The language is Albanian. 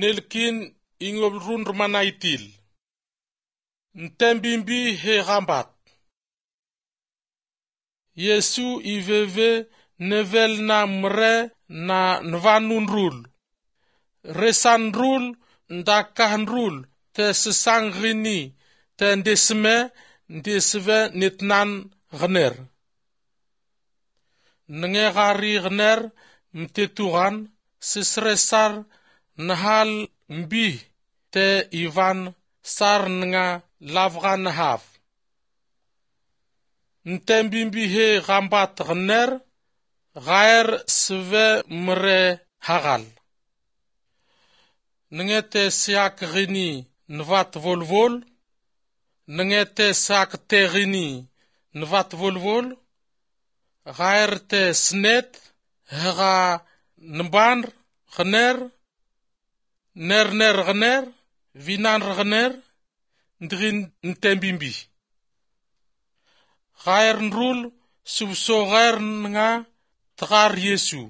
Nelkin ingol run manaitil. Ntembimbi he rambat. Yesu iveve nevel na mre na nvanun rul. Resan rul nda rul te sesangrini te ndesme ndesve netnan gner. Nge gari gner mtetugan sesresar nahal mbi te ivan sar nga lavga nahav. Ntembimbi he gambat gner gaer sve mre hagal. Nge te siak gini nvat volvol, nge te sak te gini nvat volvol, gaer te snet hga nbanr gner, ner ner gner, vinan gner, ndrin ntembimbi. Gaer nrul subso gaer nga tgar Yesu.